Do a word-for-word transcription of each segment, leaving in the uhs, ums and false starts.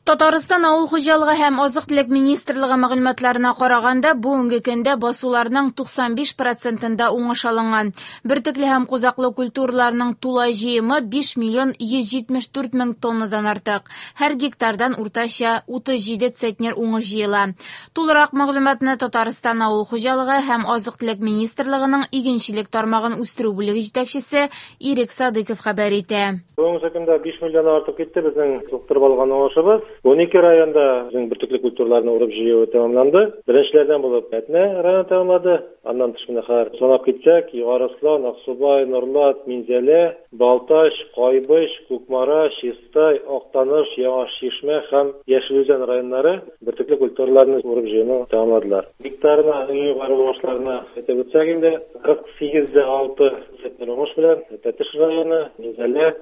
Татарстан авыл хуҗалыгы һәм азык-төлек министрлыгы мәгълүматларына караганда, бүгенге көндә басуларның туксан биш процентында уңыш алынган. Бөртекле һәм кузаклы культураларның тулай җыемы биш миллион йөз җитмеш дүрт мең тоннадан артык. Һәр гектардан уртача утыз җиде центнер уңыш җыела. Тулырак мәгълүматны Татарстан авыл хуҗалыгы һәм азык-төлек министрлыгының игенчелек тармагын үстерү бүлеге җитәкчесе Ирек Садыков хәбәр итә. Бүгенге көндә биш миллион артып китте безнең суктырып алган уңышыбыз. Ун ике районда безнең бөртекле культураларны урып җыю тәмамланды. Беренчеләрдән булып Әтнә районы тәмамлады. Аннан тыш менә хәзер санап китсәк, Югары Ослан, Аксубай, Нурлат, Минзәлә, Балтач, Кайбыч, Кукмара, Чистай, Актаныш, Яңа Чишмә һәм Яшел Үзән районнары бөртекле культураларны урып җыюны тәмамладылар. Гектарына иң югары уңышларны әйтеп үтсәк инде, кырык сигез дә алты центнер уңыш белән Тәтеш районы, Минзәлә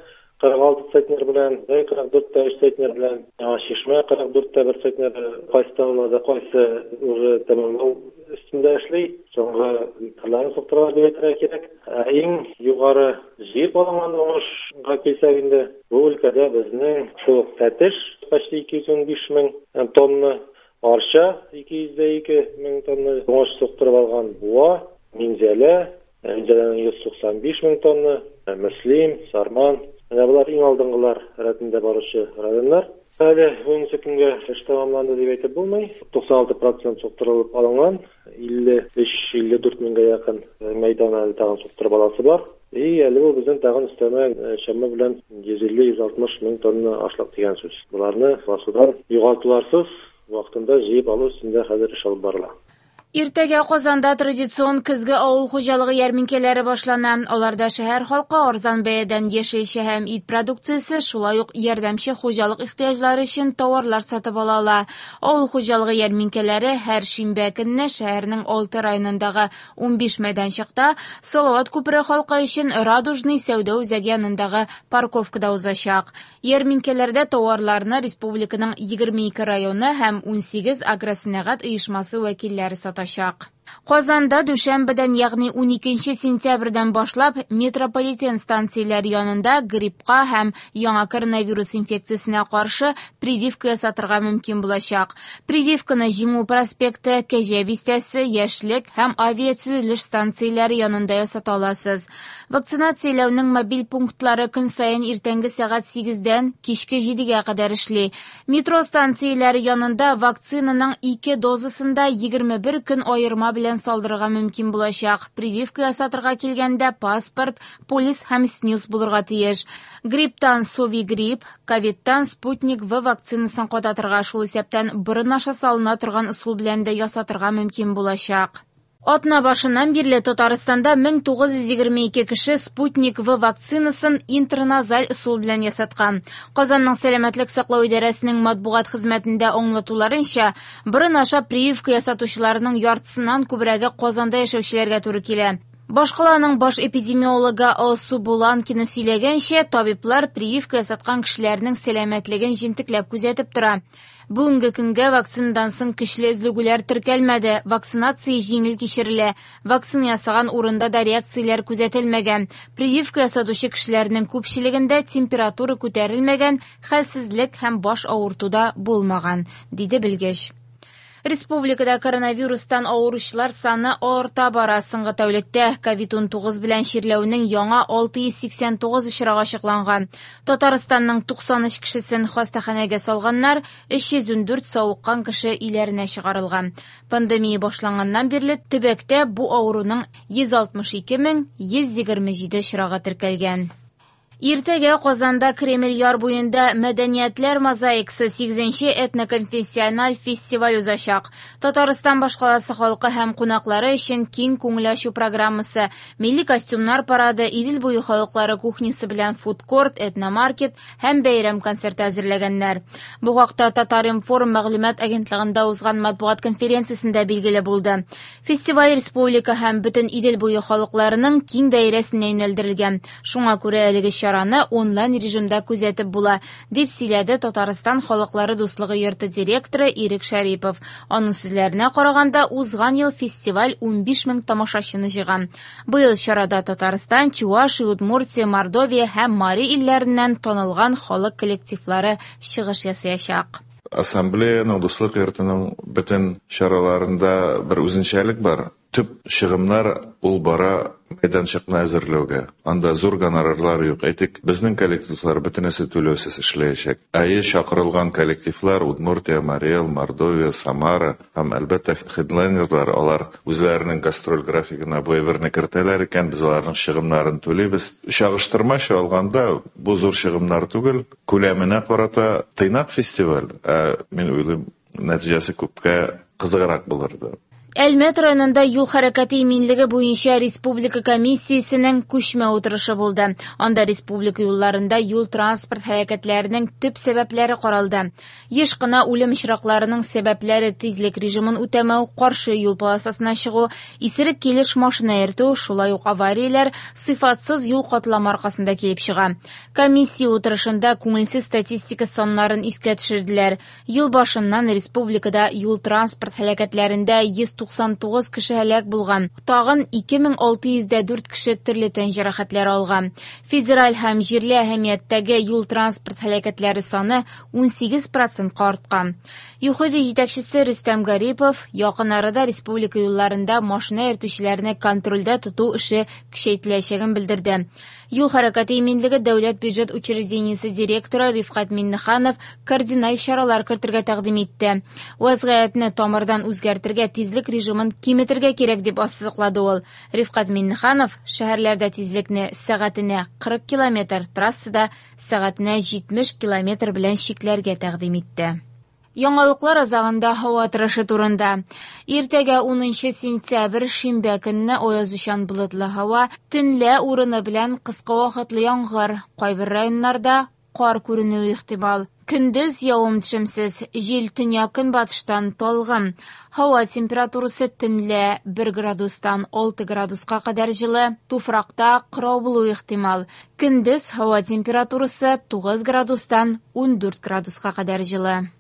кырык алты центнер белән, Зәй кырык дүрт тә өч центнер белән, Яңа Чишмә кырык дүрт тә бер центнер, кайсы тәмамлады, кайсы уже тәмамлау өстендә эшли, соңгы гектарларын суктыралар дип әйтергә кирәк. Ә иң югары җыеп алынган уңышка килсәк инде, бу өлкәдә безнең шул ук Тәтеш почти ике йөз унбиш мең тонна, Арча ике йөз дә ике мең тонна уңыш суктырып алган, Буа, Минзәлә, Минзәләнең йөз туксан биш мең тонна, Мөслим, Сарман. Менә болар иң алдынгылар рәтендә баручы районнар. Әле бүгенге көнгә эш тәмамланды дип әйтеп булмый. Туксан алты процент суктырылып алынган, илле өч, илле дүрт меңгә якын мәйдан әле тагын суктырып аласы бар. И әле бу безнең тагын өстәмә чама белән йөз илле, йөз алтмыш мең тонна ашлык дигән сүз. Боларны басудан югалтуларсыз вакытында җыеп алу өстендә хәзер эш алып барыла. Иртәгә Казанда традицион көзге авыл хуҗалыгы ярминкәләре башлана. Аларда шәһәр халкы арзан бәядән яшелчә һәм ит продукциясе, шулай ук ярдәмче хуҗалык ихтыяҗлары өчен товарлар сатып ала ала. Авыл хуҗалыгы ярминкәләре һәр шимбә көнне шәһәрнең алты районындагы унбиш мәйданчыкта, Салават күпере халкы өчен Радужный сәүдә үзәге янындагы парковкада узачак. Ярминкәләрдә товарларны республиканың егерме ике районы һәм унсигез агросәнәгать оешмасы вәкилләре сата. Казанда дүшәмбедән, ягъни уникенче сентябрьдән башлап метрополитен станцияләре янында гриппка һәм яңа коронавирус инфекциясенә каршы прививка ясатырга мөмкин булачак. Прививканы Җиңү проспекты, Кәҗә бистәсе, Яшьлек һәм авиатөзелеш станцияләре янында ясата аласыз. Вакцинацияләүнең мобиль пунктлары көн саен иртәнге сәгать сигездән кичке җидегә кадәр эшли. Метро станцияләре янында вакцинаның ике дозасында егерме бер көн аерма белән салдырырга мөмкин булачак. Прививка ясатырга килгәндә паспорт, полис һәм СНИЛС булырга тиеш. Грипптан Совигрипп, ковидтан Спутник В вакцинасын кадатырга, шул исәптән борын аша салына торган ысул белән дә ясатырга мөмкин булачак. Атна башыннан бирле Татарстанда мең тугыз йөз егерме ике кеше Спутник В вакцинасын интраназаль ысул белән ясаткан. Казанның сәламәтлек саклау идарәсенең матбугат хезмәтендә аңлатуларынча, борын аша прививка ясатучыларның яртысыннан күбрәге Казанда яшәүчеләргә туры килә. Башкаланың баш эпидемиологы Алсу Буланкина сөйләгәнчә, табиблар прививка ясаткан кешеләрнең сәламәтлеген җентекләп күзәтеп тора. Бүгенге көнгә вакцинадан соң көчле өзлегүләр теркәлмәде, вакцинация җиңел кичерелә, вакцина ясаган урында да реакцияләр күзәтелмәгән. Прививка ясатучы кешеләрнең күпчелегендә температура күтәрелмәгән, хәлсезлек һәм баш авырту да булмаган, диде белгеч. Республикада коронавирустан авыручылар саны арта бара. Соңгы тәүлектә ковид унтугыз белән чирләүнең яңа алты йөз сиксән тугыз очрагы ачыкланган. Татарстанның туксан өч кешесен хастаханәгә салганнар, өч йөз ундүрт савыккан кеше өйләренә чыгарылган. Пандемия башланганнан бирле төбәктә бу авыруның йөз алтмыш ике мең йөз егерме җиде очрагы теркәлгән. Иртәгә Казанда Кремль яр буенда Мәдәниятләр мозаикасы сигезенче этноконфессиональ фестиваль узачак. Татарстан башкаласы халкы һәм кунаклары өчен киң күңел ачу программасы, милли костюмнар парады, Идел буе халыклары кухнясы белән фудкорт, этномаркет һәм бәйрәм концерты әзерләгәннәр. Бу хакта Татар-информ мәгълүмат агентлыгында узган матбугат конференциясендә билгеле булды. Фестиваль республика һәм бөтен Идел буе халыкларының киң даирәсенә юнәлдерелгән. Шуңа күрә әлеге чара онлайн режимда күзәтеп була, дип сөйләде Татарстан халыклары дуслыгы йорты директоры Ирек Шәрипов. Аның сүзләренә караганда, узган ел фестиваль унбиш мең тамашачыны җыйган. Быел чарада Татарстан, Чувашия, Удмуртия, Мордовия һәм Мари илләреннән танылган халык коллективлары чыгыш ясаячак. Ассамблеяның, Дуслык йортының бөтен чараларында бер үзенчәлек бар. Төп чыгымнар ул бара мәйданчыкны әзерләүгә. Анда зур гонорарлар юк. Әйтик, безнең коллективлар бөтенесе түләүсез эшләячәк. Әйе, чакырылган коллективлар Удмуртия, Марий Эл, Мордовия, Самара һәм, әлбәттә, хедлайнерлар, алар үзләренең гастроль графигына бу әйберне кертәләр икән, без аларның чыгымнарын түлибез. Чагыштырмача алганда, бу зур чыгымнар түгел, күләменә карата тыйнак фестиваль, ә мин уйлыйм, нәтиҗәсе күпкә кызыграк булырды. Әлмәт районында юл хәрәкәте иминлеге буенча республика комиссиясенең күчмә утырышы булды. Анда республика юлларында юл-транспорт һәлакәтләренең төп сәбәпләре каралды. Еш кына үлем очракларының сәбәпләре тизлек режимын үтәмәү, каршы юл полосасына чыгу, исерек килеш машина йөртү, шулай ук аварияләр сыйфатсыз юл катламы аркасында килеп чыга. Комиссия утырышында күңелсез статистика саннарын искә төшерделәр. Ел башыннан республикада юл-транспорт һәлакәтләрендә йөз туксан тугыз кеше һәлак булган. Тагын ике мең алты йөз дә дүрт кеше төрле тән җәрәхәтләре алган. Федераль һәм җирле әһәмияттәге юл-транспорт һәлакәтләре саны ун сигез процентка арткан. ЮХИДИ җитәкчесе Рөстәм Гарипов якын арада республика юлларында машина йөртүчеләрне контрольдә тоту эше көчәйтеләчәген белдерде. Юл хәрәкәте иминлеге дәүләт бюджет учреждениесе директоры Рифкать Миннеханов кардиналь чаралар кертергә тәкъдим итте. Вазгыятьне тамырдан үзгәртергә, тизлек режимын киметергә кирәк дип ассызыклады ул. Рифкать Миннеханов шәһәрләрдә тизлекне сәгатенә кырык километр, трассада сәгатенә җитмеш километр белән чикләргә тәкъдим итте. Яңалыклар азагында һава торышы турында. Иртәгә унынчы сентябрь шимбә көнне аязучан болытлы һава, төнлә урыны белән кыска вакытлы яңгыр, кайбер районнарда кар күренүе ихтимал. Көндез явым-төшемсез, җил төньяк-көнбатыштан талгын. Һава температурасы төнлә бер градустан алты градуска кадәр җылы, туфракта кырау булуы ихтимал. Көндез һава температурасы тугыз градустан ундүрт градуска кадәр җылы.